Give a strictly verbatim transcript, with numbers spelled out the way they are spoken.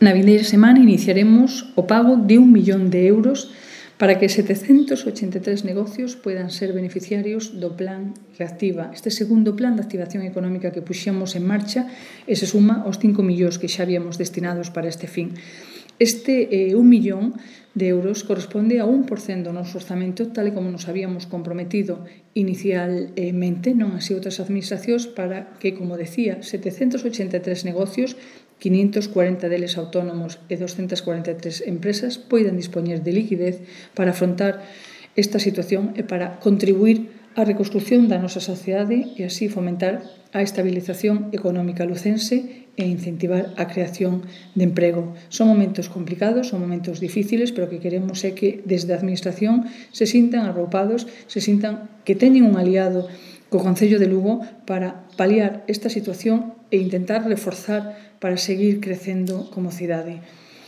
Na vindeira semana iniciaremos o pago de un millón de euros para que setecentos ochenta e tres negocios poidan ser beneficiarios do Plan Reactiva. Este segundo plan de activación económica que puxemos en marcha e se suma aos cinco millóns que xa habíamos destinados para este fin. Este eh, un millón de euros corresponde a un por cento do noso orzamento, tal e como nos habíamos comprometido inicialmente, non así outras administracións, para que, como decía, setecentos ochenta e tres negocios, quinientos cuarenta deles autónomos e doscientas cuarenta e tres empresas poidan dispoñer de liquidez para afrontar esta situación e para contribuir á reconstrucción da nosa sociedade e así fomentar a estabilización económica lucense e incentivar a creación de emprego. Son momentos complicados, son momentos difíciles, pero o que queremos é que desde a Administración se sintan arroupados, se sintan que teñen un aliado co Concello de Lugo para paliar esta situación e intentar reforzar para seguir crecendo como cidade.